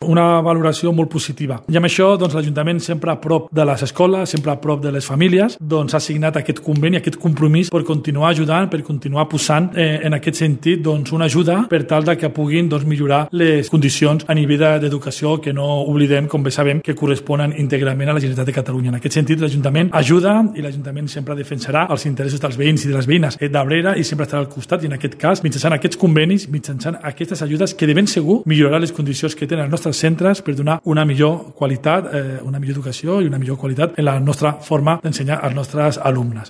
Una valoració molt positiva. I amb això, l'Ajuntament sempre a prop de les escoles, sempre a prop de les famílies, ha signat aquest conveni, aquest compromís per continuar ajudant, per continuar posant en aquest sentit una ajuda per tal que puguin millorar les condicions a nivell d'educació, que no oblidem, com bé sabem, que corresponen íntegrament a la Generalitat de Catalunya. En aquest sentit, l'Ajuntament ajuda i l'Ajuntament sempre defensarà els interessos dels veïns i de les veïnes d'Abrera i sempre estarà al costat, i en aquest cas, mitjançant aquests convenis, mitjançant aquestes ajudes que de ben segur milloraran les condicions que tenen els nostres centres per donar una millor qualitat, una millor educació i una millor qualitat en la nostra forma d'ensenyar als nostres alumnes.